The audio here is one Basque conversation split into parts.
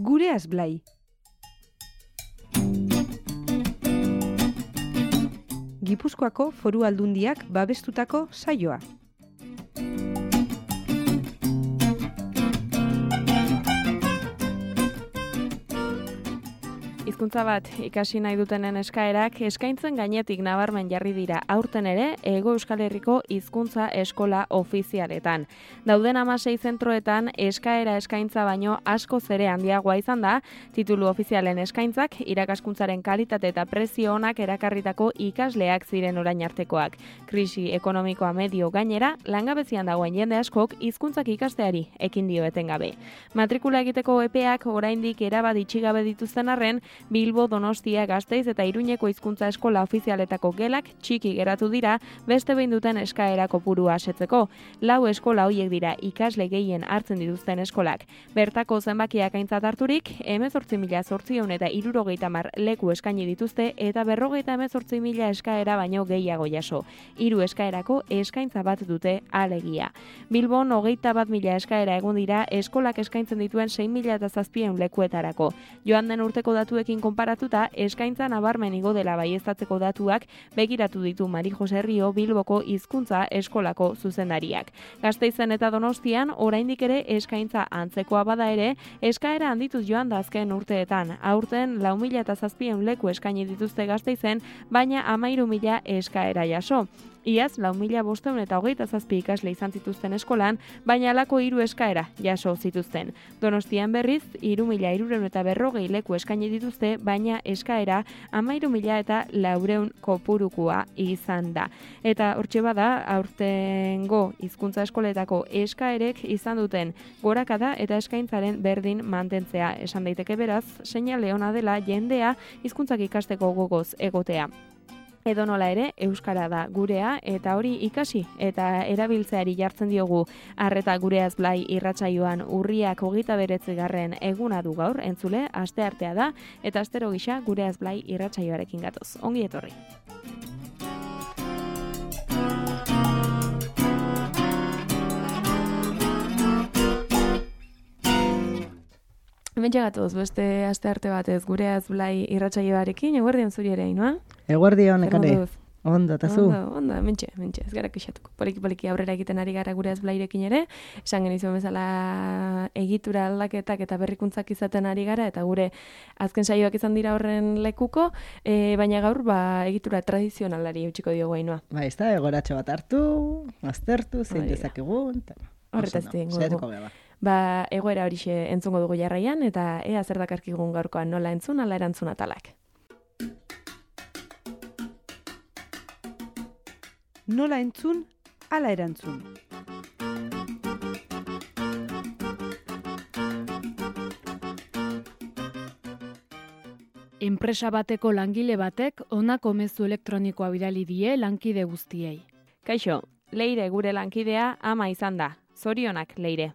Gureaz Blai. Gipuzkoako Foru Aldundiak babestutako saioa. Hizkuntza bat ikasi nahi dutenen eskaerak eskaintzen gainetik nabarmen jarri dira aurten ere Hego Euskal Herriko hizkuntza eskola ofizialetan. Dauden 16 zentroetan eskaera eskaintza baino askoz ere handiagoa izan da, titulu ofizialen eskaintzak irakaskuntzaren kalitate eta prezio onak erakarritako ikasleak ziren orain artekoak. Krisi ekonomikoa medio gainera, langabezian dagoen jende askok hizkuntzak ikasteari ekin dio etengabe. Matrikula egiteko epeak oraindik erabat itxigabe dituzten arren, Bilbo, Donostia, Gasteiz eta Iruñeko hizkuntza eskola ofizialetako gelak txiki geratu dira beste behin duten eskaera kopurua asetzeko. 4 eskola horiek dira ikasle gehien hartzen dituzten eskolak. Bertako zenbakiak aintzat harturik, 18.870 leku eskaini dituzte eta 58.000 eskaera baino gehiago jaso. 3 eskaerako eskaintza bat dute alegia. Bilbon 21.000 eskaera egon dira eskolak eskaintzen dituen 6.700 lekuetarako. Joan den urteko datuekin konparatuta, eskaintza nabarmen igo dela baieztatzeko datuak begiratu ditu Mari Jose Rio Bilboko hizkuntza eskolako zuzendariak. Gasteizen eta Donostian oraindik ere eskaintza antzekoa bada ere, eskaera handituz joan da azken urteetan. Aurten 4.700 leku eskaini dituzte Gasteizen, baina 13.000 eskaera jaso. Iaz, 4.527 ikasle izan zituzten eskolan, baina halako 3 eskaera jaso zituzten. Donostian berriz, 3.340 leku eskaini dituzte, baina eskaera 13.400 kopurukua izan da. Eta hortxe bada, aurtengo hizkuntza eskoletako eskaerek izan duten gorakada eta eskaintzaren berdin mantentzea. Esan daiteke beraz, seinale ona dela jendea hizkuntzak ikasteko gogoz egotea. Edonola ere, euskara da gurea eta hori ikasi eta erabiltzeari jartzen diogu arreta Gureaz Blai irratsaioan urriak 29. eguna du gaur, entzule, asteartea da eta astero gisa Gureaz Blai irratsaioarekin gatoz. Ongi etorri. Hemen gatoz, beste astearte batez Gureaz Blai irratsaioarekin, eguerdion zuri ere, inoa? Eguerdion, ekare. Ondo, eta zu? Ondo, mentxe, ez gara kexatuko. Poliki aurrera egiten ari gara Gureaz Blairekin ere, esan genizuen bezala egitura aldaketak eta berrikuntzak izaten ari gara, eta gure azken saioak izan dira horren lekuko, baina gaur egitura tradizionalari eutxiko diogu hainoa. Ba, ez da, egoratxo bat hartu, aztertu, zein dezakegun. Horretaz dingu. Egoera horixe entzungo dugu jarraian, eta ea zer dakarkigun gaurkoan nola entzun, ala erantzun atalak. Nola entzun, ala erantzun. Enpresa bateko langile batek honako mezu elektronikoa bidali die lankide guztiei. Kaixo, Leire gure lankidea ama izan da. Zorionak, Leire.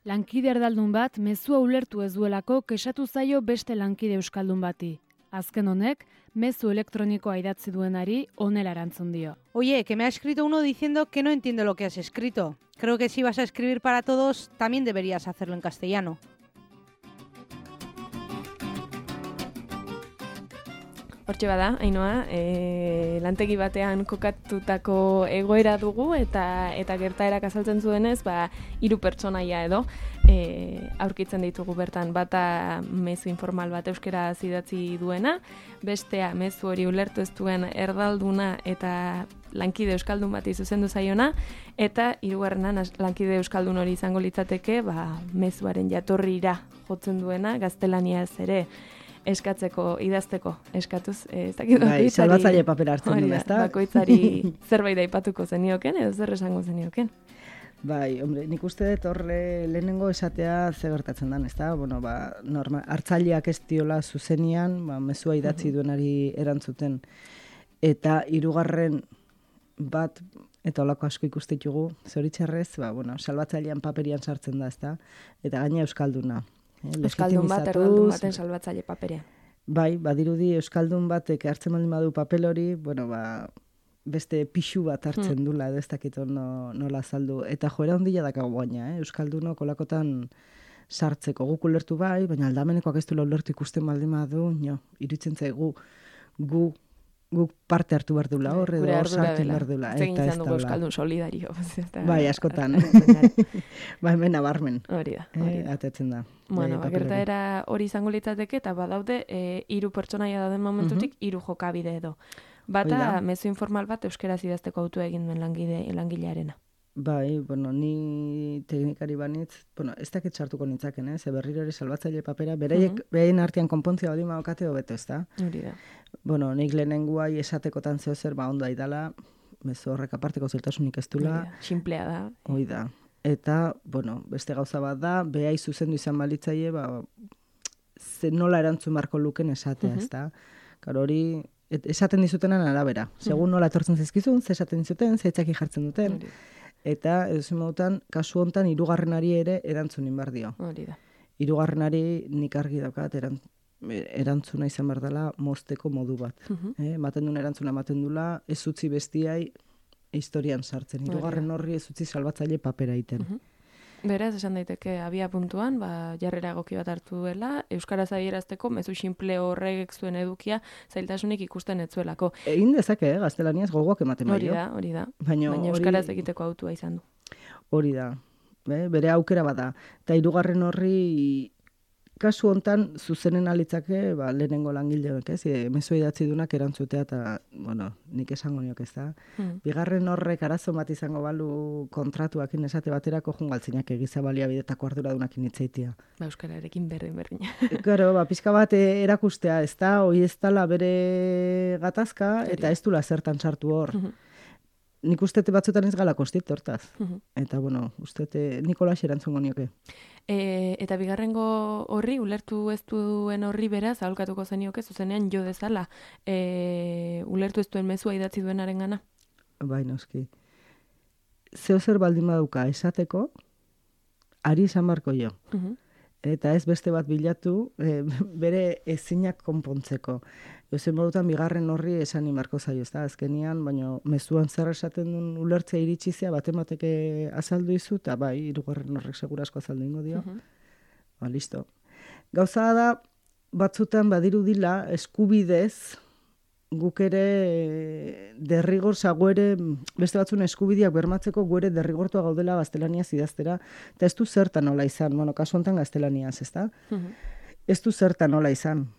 Lankide erdaldun bat mezua ulertu ez duelako kexatu zaio beste lankide euskaldun bati. Azken honek, mezu elektronikoa idatzi duenari honela erantzun dio. Oye, que me ha escrito uno diciendo que no entiendo lo que has escrito. Creo que si vas a escribir para todos, también deberías hacerlo en castellano. Hortxe bada, Ainoa, lantegi batean kokatutako egoera dugu eta gertaerak azaltzen zuenez, 3 pertsonaia edo aurkitzen ditugu bertan, bata mezu informal bat euskera idatzi duena, bestea mezu hori ulertu ez duen erdalduna eta lankide euskaldun bati zuzendu zaiona, eta 3. lankide euskaldun hori izango litzateke, mezuaren jatorrira jotzen duena, gaztelaniaz ere eskatzeko, idazteko, eskatuz. Bai, salbatzaile papera hartzen du, ezta? Bakoitzari zerbait aipatuko zenioken, edo zer esango zenioken. Bai, hombre, nik uste dut horre lehenengo esatea ze gertatzen den, ezta? Bueno, hartzaileak ez diola zuzenian, mezua idatzi duenari erantzuten. Eta 3. bat, eta holako asko ikustitugu, zoritxarrez, salbatzailean paperian sartzen da, ezta? Eta gaina euskalduna. Euskaldun bat, erdaldun baten salbatzaile paperean. Bai, badirudi euskaldun batek hartzen baldin badu papel hori, beste pixu bat hartzen dula, edo ez dakit nola azaldu. Eta joera ondila dakago gaina, euskaldunok olakotan sartzeko. Guk ulertu bai, baina aldamenekoak ez duela ulertu ikusten baldin badu, iruditzen zaigu guk parte hartu behar dula hor, edo hor sartu behar dula. Eta ez dugu euskaldun solidario. Bai, askotan. Bai, hemen nabarmen. Hori da. Atetzen da. Bueno, gertaera hori izango litzateke, eta badaude, 3 pertsonaia dauden momentutik 3 jokabide edo. Bata, mezu informal bat euskaraz idazteko autua egin duen langilearena. Bai, bueno, ni teknikari banitz, ez dakit sartuko nintzaken, ze berriro ere salbatzaile papera, beraien artean konpontzia badi maokate hobeto, ez da? Hori da. Bueno, nik lehenengoai esatekotan zeo zer, ondo aidala, mezu horrek aparteko zeltasunik ez dula. Simplea da. Hoi da. Eta, beste gauza bat da, behai zuzendu izan balitzaie, ze nola erantzun marko luken esatea, ez da? Karo hori, esaten dizutenan arabera. Segun nola etortzen zizkizun, ze esaten dizuten, ze itzaki jartzen duten. Eta, edozein modutan, kasu hontan, 3. ere erantzunin bar dio. Hori da. 3. nik argi daukat erantzuna izan behar dela mozteko modu bat. Ematen duen erantzuna ematen dula, ez utzi bestiai historian sartzen. 3. horri ez utzi salbatzaile papera iten. Beraz, esan daiteke, abia puntuan, jarrera egoki bat hartu duela, euskaraz adierazteko, mezu simple horrek zuen edukia, zailtasunik ikusten ez zuelako. Egin dezake, gaztelaniaz gogoak ematen baino. Hori da. Baina euskaraz egiteko autua izan du. Hori da. Bere aukera bada. Eta 3. horri, kasu hontan, zuzenen alitzake, lehenengo langileak, mezu idatzi dunak erantzutea, eta, nik esango niok ez da. 2. horrek arazo bat izango balu kontratuakin esate baterako jungaltzinak egiza baliabidetako arduradunakin hitzeitia. Euskararekin berdin. Claro, pixka bat erakustea, ez da, hoi ez dala bere gatazka, eta ez dula zertan sartu hor. Nik ustete batzutan ez gala kostit hortaz. Eta, ustete Nikolax erantzungo nioke. Eta 2. horri, ulertu ez duen horri beraz, aholkatuko zenioke, zuzenean jo dezala, ulertu ez duen mezua idatzi duenaren gana? Bai, noski. Zeo zer baldin baduka esateko, ari izan barko jo. Eta ez beste bat bilatu, bere ezinak konpontzeko. Ezen modutan 2. horri esan imarko zaio, ez da, azkenian, baina mezuan zer esaten duen ulertzea iritsizia, batemateke azaldu izu, eta bai, 3. horrek segurasko azaldu ingo dio. Listo. Gauza da, batzutan badirudila eskubidez, guk ere derrigor zagoere, beste batzun eskubideak bermatzeko guere derrigortua gaudela gaztelaniaz idaztera, eta ez du zertan nola izan, kasu honetan gaztelaniaz, ez da? Ez du zertan nola izan.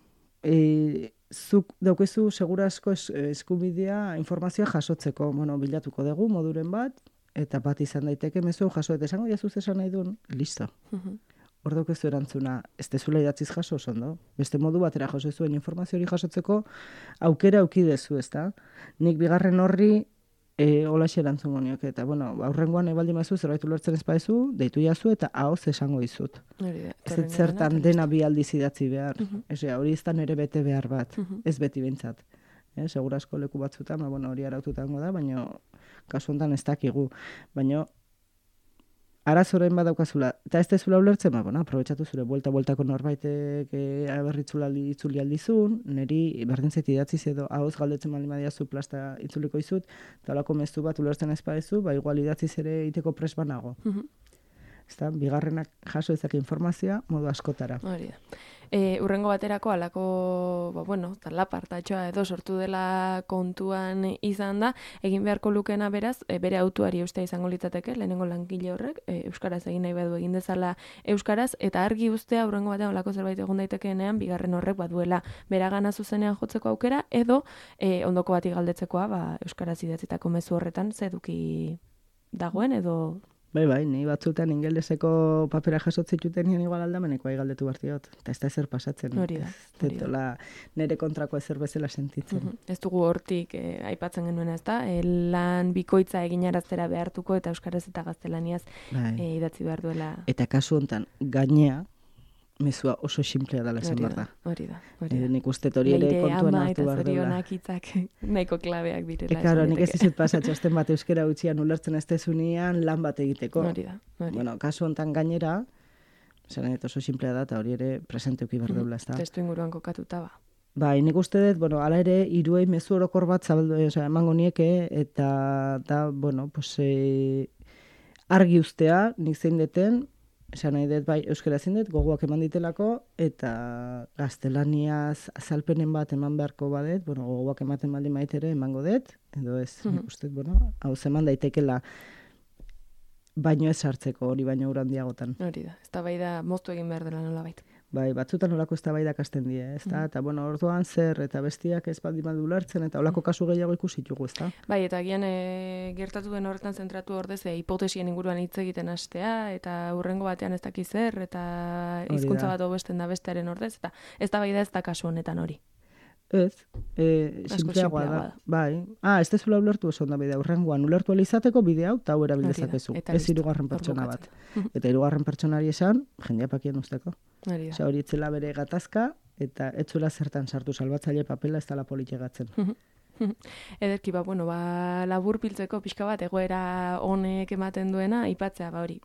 Zuk daukezu segurasko eskubidea informazioa jasotzeko, bilatuko dugu moduren bat, eta bat izan daiteke mezu jaso, eta esango jazuz esan nahi duen, listo. Hor daukezu erantzuna, ez dezula idatziz jaso ondo. Beste modu batera jaso zuen informazio hori jasotzeko, aukera aukidezu, ez da? Nik 2. horri holaxe erantzungo nioke, eta aurrengoan ebaldi mazu, zerbait ulertzen ez baezu, deitu jazu eta ahoz esango dizut. Ez zertan dena bi aldiz idatzi behar. Hori ez da nere bete behar bat, ez beti bintzat. Segurasko leku batzutan, hori araututango da, baina kasu honetan ez dakigu. Baina arazoren badaukazula, eta ez dezula ulertzen, aprobetxatu zure buelta-bueltako norbaitek itzuli aldizun, niri berdin zait idatziz edo ahoz galdetzen baldin badiazu plasta itzuliko izut, eta holako mezu bat ulertzen ez badezu, igual idatziz ere iteko pres banago. Ezta, 2. jaso ezak informazioa modu askotara. Hori da. Urrengo baterako alako, talapartatxoa edo sortu dela kontuan izan da, egin beharko lukena beraz, bere autuari ustea izango litzateke, lehenengo langile horrek, euskaraz egin nahi badu egin dezala euskaraz, eta argi ustea urrengo batean olako zerbait egon daitekeenean, 2. horrek baduela beragana zuzenean jotzeko aukera, edo ondoko bati galdetzekoa, euskaraz idatzitako mezu horretan, ze eduki dagoen, edo... Bai, ni batzutan ingeleseko papera jasotzituten nien igual aldamenekoa galdetu bartiot. Eta ez da ezer pasatzen. Hori da. Nere kontrako ezer bezala sentitzen. Ez dugu hortik aipatzen genuen, ez da? Lan bikoitza eginaraztera behartuko eta euskaraz eta gaztelaniaz idatzi behar duela. Eta kasu honetan, gainea, mezua oso simplea dela esan behar da. Hori da. Nik uste hori ere kontuan hartu behar dela. Leire ama eta zorionak hitzak nahiko klabeak direla. Claro, nik ez dizut pasatxosten bat euskera utzian ulertzen ez dezunean lan bat egiteko. Hori da. Kasu honetan gainera, zeren oso simplea da, eta hori ere presenteuki behar deula, ez da. Testu inguruan kokatuta ba. Bai, nik uste dut, hala ere, hiruei mezu orokor bat zabaldu, emango nieke, eta argi ustea, nik zein deten, Esan nahi dut, bai, euskara ezin dut, gogoak eman ditelako, eta gaztelaniaz azalpenen bat eman beharko badet, bueno, gogoak ematen baldin maitere emango dut, edo ez, nik uste, bueno, hau zeman daitekela baino ez hartzeko, hori baino ura handiagotan. Hori da, eztabaida moztu egin behar dela nolabait. Bai, batzutan olako eztabaidak hasten die, ezta? Eta bueno, orduan zer eta bestiak ez baldin badu ulertzen eta olako kasu gehiago ikusi ditugu, ezta? Bai, eta agian gertatu den horretan zentratu ordez hipotesien inguruan hitz egiten hastea eta hurrengo batean ez dakiz zer eta hizkuntza bat hobesten da bestearen ordez eta eztabaida ez da kasu honetan hori. Ez, simpleagoa da. Bai. Ez dezula ulertu oso onda bidea. Hurrengoan ulertu izateko bidea hau eta hau erabil dezakezu. Ez hirugarren pertsona bat. Eta hirugarren pertsonari esan, jendea pakien usteko. Hori etzela bere gatazka eta etzuela zertan sartu salbatzaile papela ez dela politigatzen. Ederki, labur piltzeko pixka bat egoera honek ematen duena, aipatzea, hori,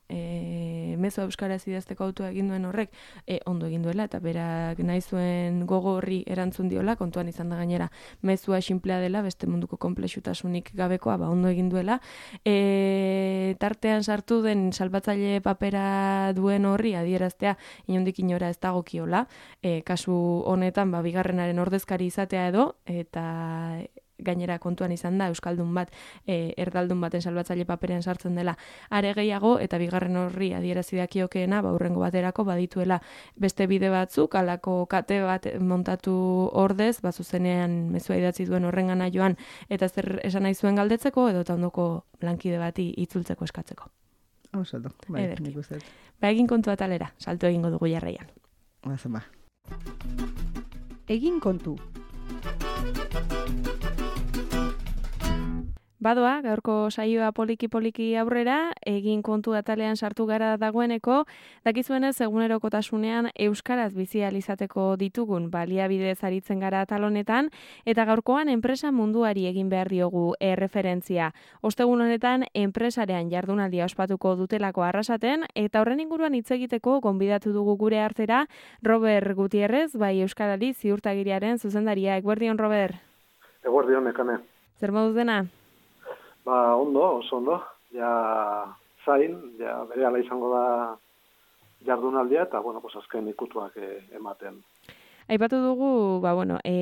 mezu euskaraz idazteko autua egin duen horrek, ondo egin duela, eta berak nahi zuen gogo horri erantzun diola, kontuan izan da gainera, mezua sinplea dela, beste munduko konplexutasunik gabekoa, ondo egin duela, tartean sartu den salbatzaile papera duen horri adieraztea, inondik inora ez dagokiola, kasu honetan, bigarrenaren ordezkari izatea edo, eta gainera kontuan izan da euskaldun bat erdaldun baten salbatzaile paperean sartzen dela are gehiago eta bigarren horri adierazi dakiokeena hurrengo baterako badituela beste bide batzuk halako kate bat montatu ordez zuzenean mezua idatzi duen horrengana joan eta zer esan nahi zuen galdetzeko edo ta ondoko lankide bati itzultzeko eskatzeko. Oso, bai, nik uste. Egin kontu atalera, salto egingo dugu jarraian. Egin kontu. Badoa, gaurko saioa poliki-poliki aurrera, egin kontu atalean sartu gara dagoeneko, dakizuenez egunerokotasunean euskaraz bizi ahal izateko ditugun baliabidez aritzen gara atal honetan, eta gaurkoan enpresa munduari egin behar diogu erreferentzia. Ostegun honetan enpresarean jardunaldia ospatuko dutelako arrasaten, eta horren inguruan hitz egiteko gonbidatu dugu gure artera Robert Gutierrez, bai Euskarari ziurtagiriaren zuzendaria. Eguerdion, Robert? Eguerdion, Nekane. Zer moduz dena? Ondo, oso ondo. Ja zain, berehala izango da jardunaldia eta, azken ikutuak ematen. Aipatu dugu,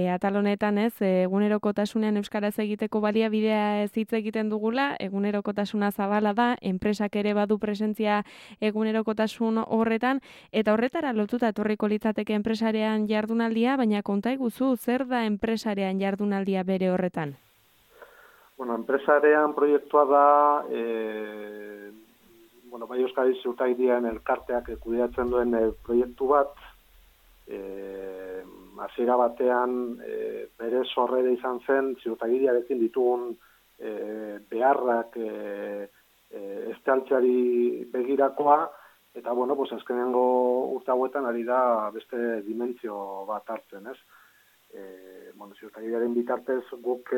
atal honetan egunerokotasunean euskaraz egiteko baliabidea ez hitz egiten dugula, egunerokotasuna zabala da, enpresak ere badu presentzia egunerokotasun horretan, eta horretara lotuta etorriko litzateke enpresarean jardunaldia, baina konta iguzu, zer da enpresarean jardunaldia bere horretan? Enpresarean proiektua da, bai Euskadi ziurtagiriaren elkarteak kudeatzen duen proiektu bat, hasiera batean bere sorrera izan zen ziurtagiriarekin ditugun beharrak estaltzeari begirakoa, eta azkenengo urte hauetan ari da beste dimentsio bat hartzen, ez? Ziurtagiriaren bitartez guk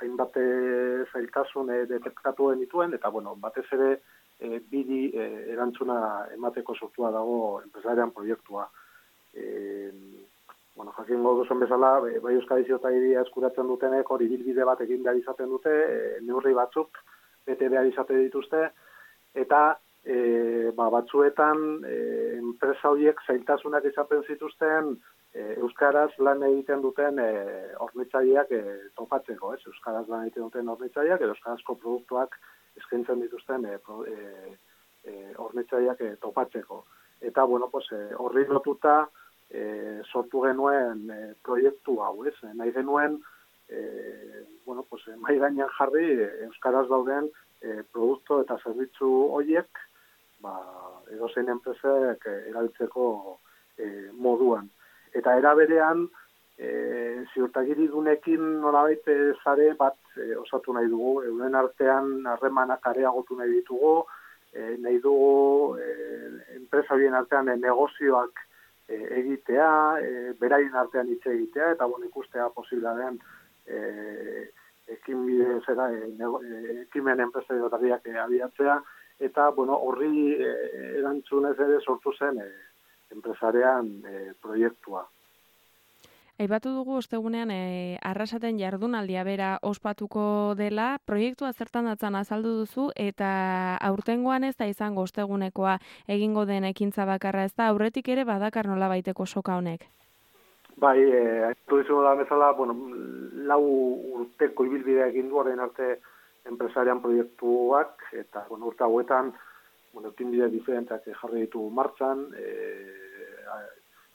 hainbat zailtasun detektatu genituen, eta batez ere biri erantzuna emateko sortua dago enpresarian proiektua. Jakingo duzuen bezala, bai Euskadi ziurtagiria eskuratzen dutenek hori bilbide bat egin behar izaten dute, neurri batzuk bete behar izaten dituzte, eta batzuetan enpresa horiek zailtasunak izaten zituzten euskaraz lan egiten duten hornitzaileak topatzeko, ez? Euskaraz lan egiten duten hornitzaileak edo euskarazko produktuak eskaintzen dituzten hornitzaileak topatzeko. Eta, horri lotuta sortu genuen proiektu hau, ez? Nahi genuen, mai gainean jarri euskaraz dauden produktu eta zerbitzu horiek, edozein enpresek erabiltzeko moduan. Eta era berean, ziurtagiridunekin nolabait sare bat osatu nahi dugu, euren artean harremanak areagotu nahi ditugu, nahi dugu enpresa horien artean negozioak egitea, beraien artean hitz egitea, eta ikustea posibla den ekimen enpresariotariak abiatzea, eta horri erantzunez ere sortu zen enpresarean proiektua. Aipatu dugu ostegunean Arrasaten jardunaldia bera ospatuko dela, proiektua zertan datzan azaldu duzu eta aurtengoan ez da izango ostegunekoa egingo den ekintza bakarra, ez da aurretik ere badakar nolabaiteko soka honek. Bai, aitu dizugu da bezala, bueno, 4 urteko ibilbidea egin du orain arte enpresarian proiektuak, eta bueno, urte hauetan, bueno, ekinbide diferenteak jarri ditu martxan,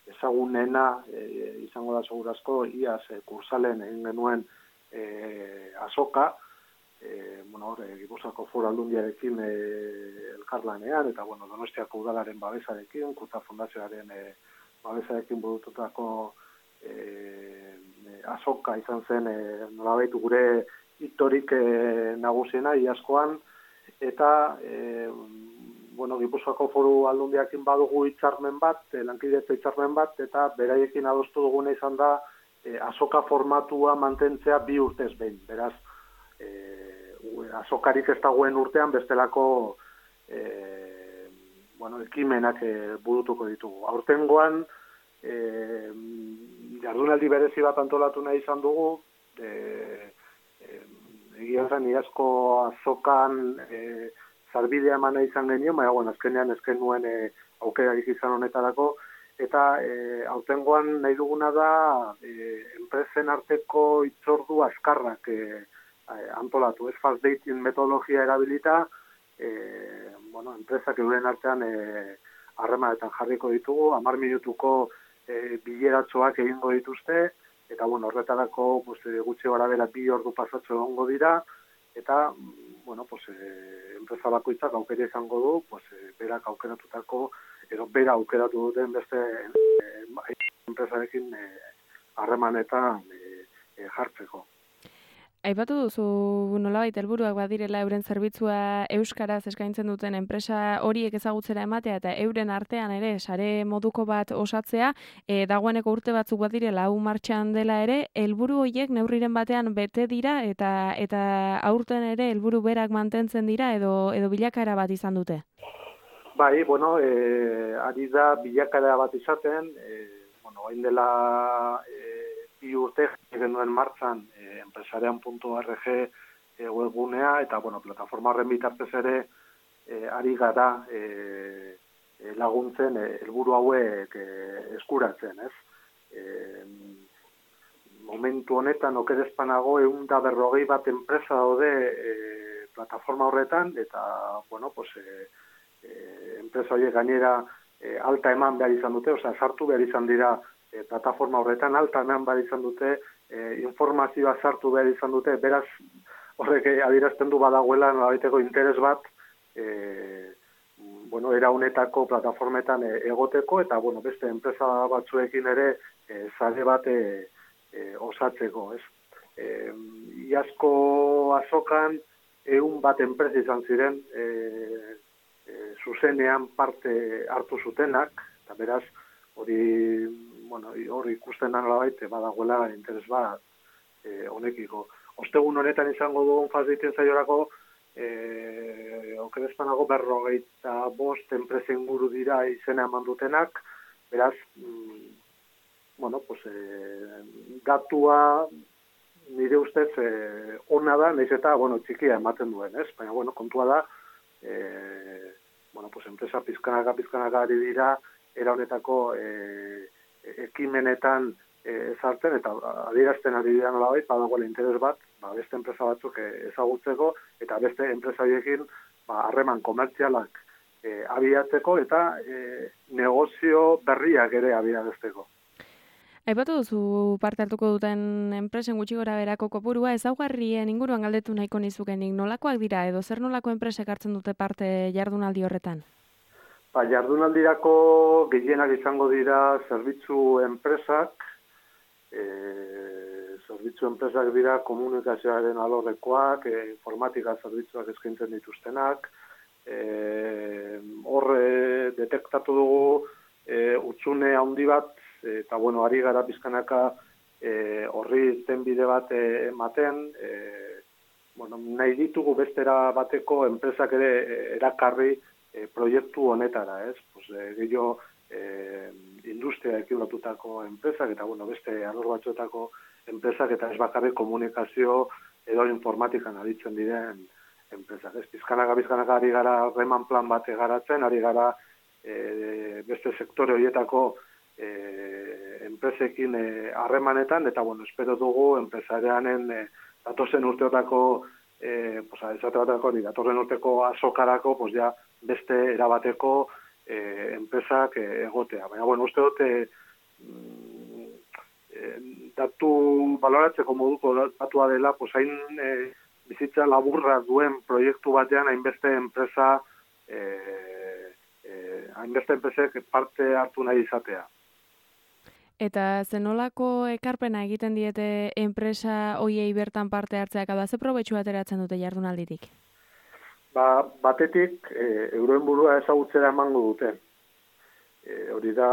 ezagunena izango da segurazko, iaz kursalen egin genuen azoka, bueno, Gipuzkoako Foru Aldundiarekin elkarlanean, eta bueno, Donostiako udalaren babesarekin, Kurta Fundazioaren babesarekin burututako azoka izan zen nolabait gure hitorik nagusiena iazkoan, eta bueno, Gipuzkoako Foru Aldundiarekin badugu hitzarmen bat, lankidetza hitzarmen bat, eta beraiekin adostu duguna izan da azoka formatua mantentzea 2 urtez behin. Beraz, azokarik ez dagoen urtean bestelako bueno, ekimenak burutuko ditugu. Aurtengoan, jardunaldi berezi bat antolatu nahi izan dugu, egia zen iazko azokan zarbidea emana izan genio, baina bueno, azkenean ezken nuen aukerarik izan honetarako, eta aurtengoan nahi duguna da enpresen arteko hitzordu azkarrak antolatu, ez fast dating metodologia erabilita, bueno, enpresak euren artean harremanetan jarriko ditugu, 10 minutuko bileratxoak egingo dituzte, eta bueno, horretarako gutxi gorabehera 2 ordu pasatxo egongo dira, eta bueno, enpresa bakoitzak aukera izango du, berak aukeratutako, edo bera aukeratu duten beste enpresarekin harremanetan jartzeko. Aipatu duzu nolabait helburuak badirela euren zerbitzua euskaraz eskaintzen duten enpresa horiek ezagutzera ematea eta euren artean ere sare moduko bat osatzea, dagoeneko urte batzuk badirela hau martxan dela ere, helburu horiek neurriren batean bete dira eta aurten ere helburu berak mantentzen dira edo bilakaera bat izan dute. Bai, bueno, ari da bilakaera bat izaten, bueno, hain dela 2 urte genuen martxan enpresarian.org webgunea, eta bueno, plataforma horren bitartez ere ari gara laguntzen helburu hauek eskuratzen, ez? Momentu honetan okerezpanago 140 bat enpresa daude plataforma horretan, eta bueno, enpresa horiek gainera alta eman behar izan dute, osea, sartu behar izan dira plataforma horretan, alta eman behar izan dute, informazioa sartu behar izan dute, beraz horrek adierazten du badagoela nolabaiteko interes bat bueno, era honetako plataformetan egoteko, eta bueno, beste enpresa batzuekin ere sare bat osatzeko, ez? Iazko azokan 100 bat enpresa izan ziren zuzenean parte hartu zutenak, eta beraz hori ikusten da nolabait badagoela interes bat honekiko. Ostegun honetan izango dugun fast dating saiorako okerezpanago 45 enpresa inguru dira izena eman dutenak, beraz, bueno, datua nire ustez ona da, nahiz eta, bueno, txikia ematen duen, ez? Baina, bueno, kontua da, bueno, enpresa pizkanaka ari dira, era honetako ekimenetan ezartzen, eta adierazten ari dira nolabait, badagoela interes bat, beste enpresa batzuk ezagutzeko, eta beste enpresa horiekin harreman komertzialak abiatzeko, eta negozio berriak ere abiatzeko. Aipatu duzu parte hartuko duten enpresen gutxi gora berako kopurua, ezaugarrien inguruan galdetu nahiko nizukenik, nolakoak dira edo zer nolako enpresek hartzen dute parte jardunaldi horretan? Jardunaldirako gehienak izango dira zerbitzu enpresak dira komunikazioaren alorrekoak, informatika zerbitzuak eskaintzen dituztenak, hor detektatu dugu utxune handi bat, eta bueno, ari gara pizkanaka horri tenbide bat ematen, bueno, nahi ditugu bestera bateko enpresak ere erakarri proiektu honetara, ez? Gehiago industriaekin lotutako enpresak, eta beste alor batzuetako enpresak, eta ez bakarrik komunikazio edo informatikan aritzen diren enpresak. Bizkanaka ari gara harreman plan bat garatzen, ari gara beste sektore horietako enpresekin harremanetan, eta espero dugu enpresarianen datozen urteotako, datorren urteko azokarako, ja beste erabateko enpresak egotea. Baina, uste dut, datu baloratzeko moduko datua dela, hain bizitza laburra duen proiektu batean hainbeste enpresek parte hartu nahi izatea. Eta zenolako ekarpena egiten diete enpresa hoiei bertan parte hartzeak, ze probetxu ateratzen dute jardunalditik? Batetik, euroen burua ezagutzera emango dute. Hori da,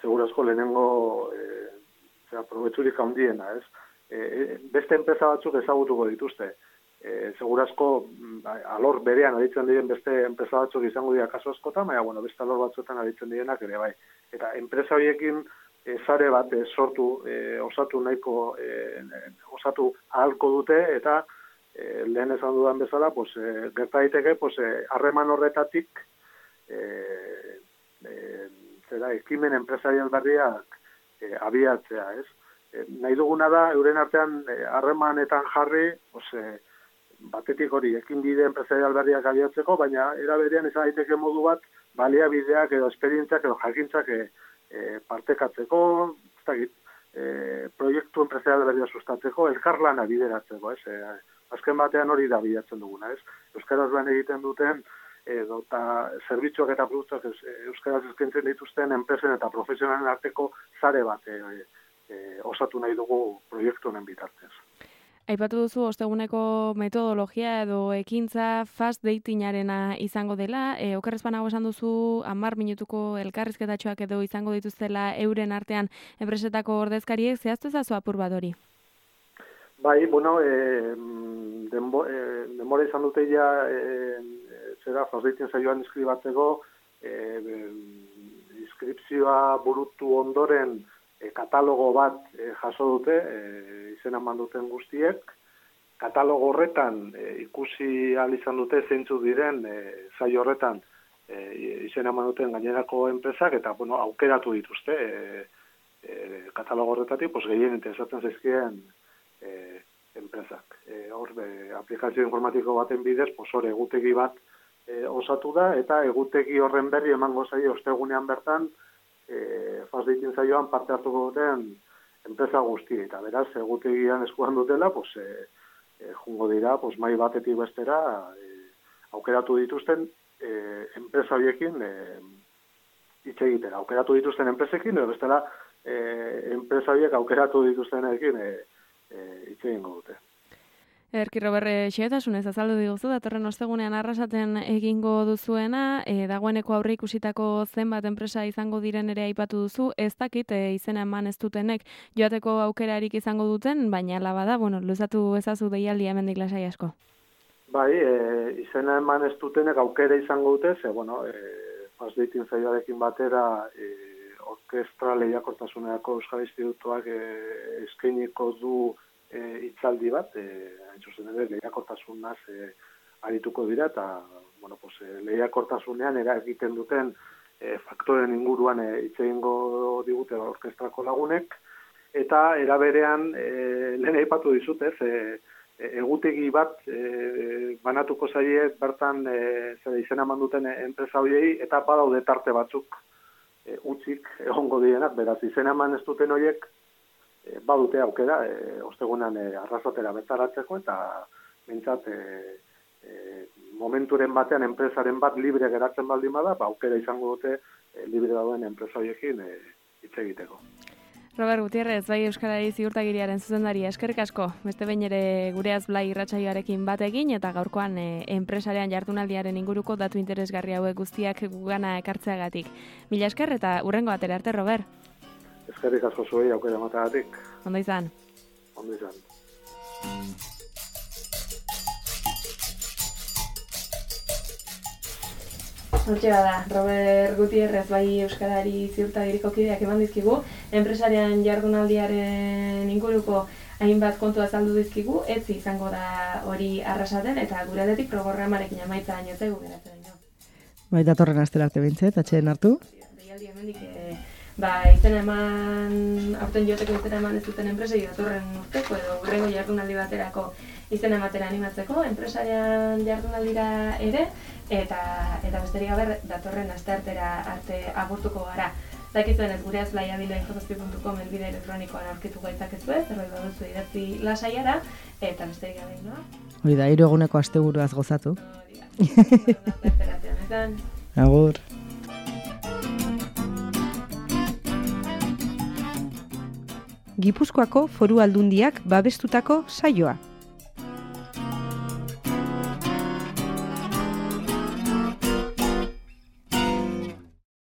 segurazko lehenengo probetxurik handiena, ez? Beste enpresa batzuk ezagutuko dituzte. Segurazko alor berean aritzen diren beste enpresa batzuk izango dira kasu askotan, baina beste alor batzuetan aritzen direnak ere bai. Eta enpresa horiekin sare bat osatu ahalko dute, eta lehen esan dudan bezala, gerta daiteke harreman horretatik ekimen enpresarial berriak abiatzea, ez? Nahi duguna da, euren artean harremanetan jarri, batetik hori, ekin bide enpresarial berriak abiatzeko, baina era berean izan daiteke modu bat, baliabideak edo esperientziak edo jakintzak partekatzeko, proiektu enpresarial berria sustatzeko, elkarlana bideratzeko, ez? Azken batean hori da bilatzen duguna, ez? Euskaraz lan egiten duten, eta zerbitzuak eta produktuak euskaraz eskaintzen dituzten enpresen eta profesionalen arteko sare bat osatu nahi dugu proiektu honen bitartez. Aipatu duzu osteguneko metodologia edo ekintza fast datingarena izango dela. Okerrez banago esan duzu 10 minutuko elkarrizketatxoak edo izango dituztela euren artean enpresetako ordezkariek, zehaztu ezazu apur bat hori? Bai, denbora izan dute ja fast dating saioan inskribatzeko, inskripzioa burutu ondoren katalogo bat jaso dute, izena eman duten guztiek. Katalogo horretan ikusi ahal izan dute zeintzu diren saio horretan izena eman duten gainerako enpresak, eta aukeratu dituzte katalogo horretatik gehien interesatzen zaizkien enpresak. Hor, aplikazio informatiko baten bidez, hor egutegi bat osatu da, eta egutegi horren berri emango zaio ostegunean bertan fast dating saioan parte hartuko duten enpresa guzti, eta beraz, egutegian eskuan dutela, jungo dira, mai batetik bestera, aukeratu dituzten enpresa horiekin hitz egitera. Aukeratu dituzten enpresekin, edo bestela, enpresa horiek aukeratu dituztenekin hitz egingo dute. Ederki, Robert, xehetasunez azaldu diguzu, datorren ostegunean arrasaten egingo duzuena, dagoeneko aurre ikusitako zenbat enpresa izango diren ere aipatu duzu, ez dakit izena eman ez dutenek joateko aukerarik izango duten, baina ala bada, luzatu ezazu deialdia hemendik lasai asko. Bai, izena eman ez dutenek aukera izango dute, fast dating saioarekin batera orkestra lehiakortasunerako Euskal Institutuak eskainiko du hitzaldi bat, zuzen ere lehiakortasunaz arituko dira, eta lehiakortasunean egiten duten faktoren inguruan hitz egingo digute orkestrako lagunek, eta eraberean lehen aipatu dizut, egutegi bat banatuko zaie bertan izena eman duten enpresa horiei, eta badaude tarte batzuk utzik egongo direnak, beraz izena eman ez duten horiek badute aukera, ostegunean arrasatera bertaratzeko, eta mintzat momenturen batean enpresaren bat libre geratzen baldin bada, aukera izango dute libre dauden enpresa horiekin hitz egiteko. Robert Gutierrez, bai Euskarari Ziurtagiriaren zuzendaria, eskerrik asko, beste behin ere Gureaz Blai irratsaioarekin bat egin, eta gaurkoan enpresarian jardunaldiaren inguruko datu interesgarri hauek guztiak gugana ekartzeagatik. Mila esker eta hurrengo batera arte, Robert. Eskerrik asko zuei aukera emateagatik. Ondo izan. Ondo izan. Hortxe bada, Robert Gutierrez bai Euskarari ziurtagiriko kideak eman dizkigu, enpresarian jardunaldiaren inguruko hainbat kontu azaldu dizkigu, etzi izango da hori arrasaten, eta gure aldetik programarekin amaitza baino zaigu geratzen ino. Bai, datorren astera arte behintzet, atxeen hartu. Deialdi hemendik, izena eman, aurten joteko izena eman ez duten enpresei datorren urteko edo hurrengo jardunaldi baterako izena ematera animatzeko, enpresarian jardunaldira ere, eta besterik gabe datorren asteartera arte agurtuko gara. Dakizuen ez gure azlaiabila.com helbide elektronikoan aurkitu gaitzakezue, zerbait baduzu idatzi lasaiara, eta besterik gabe noa. Hori da, 3 eguneko asteburuaz gozatu. Agur. Gipuzkoako Foru Aldundiak babestutako saioa.